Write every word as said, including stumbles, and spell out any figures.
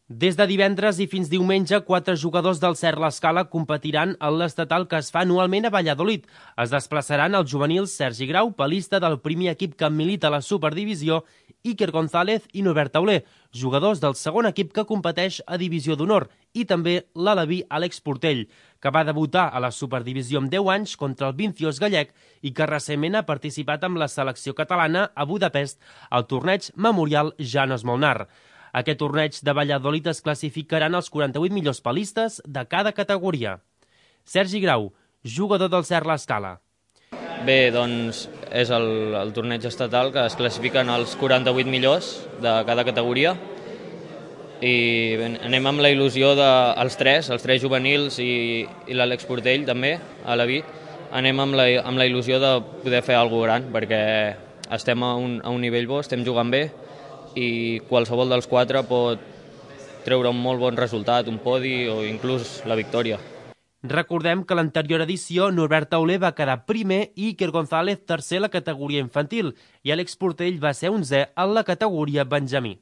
Des de divendres i fins diumenge, quatre jugadors del Cert l'Escala competiran en l'estatal que es fa anualment a Valladolid. Es desplaçaran els juvenils Sergi Grau, palista del primer equip que milita a la Superdivisió, Iker González i Norbert Tauler, jugadors del segon equip que competeix a Divisió d'Honor, i també l'aleví Àlex Portell, que va debutar a la Superdivisió amb deu anys contra el Vinciós gallec i que recentment ha participat amb la selecció catalana a Budapest al torneig Memorial Janos Molnar. Aquest torneig de Valladolid es classificaran els quaranta-vuit millors palistes de cada categoria. Sergi Grau, jugador del Cert l'Escala. Bé, doncs és el, el torneig estatal que es classifiquen els quaranta-vuit millors de cada categoria i bé, anem amb la il·lusió dels tres, els tres juvenils i, i l'Àlex Portell també, a la V I T, anem amb la, amb la il·lusió de poder fer alguna gran perquè estem a un, a un nivell bo, estem jugant bé i qualsevol dels quatre pot treure un molt bon resultat, un podi o inclús la victòria. Recordem que a l'anterior edició Norbert Tauler va quedar primer i Iker González tercer a la categoria infantil i Àlex Portell va ser onzè en la categoria benjamí.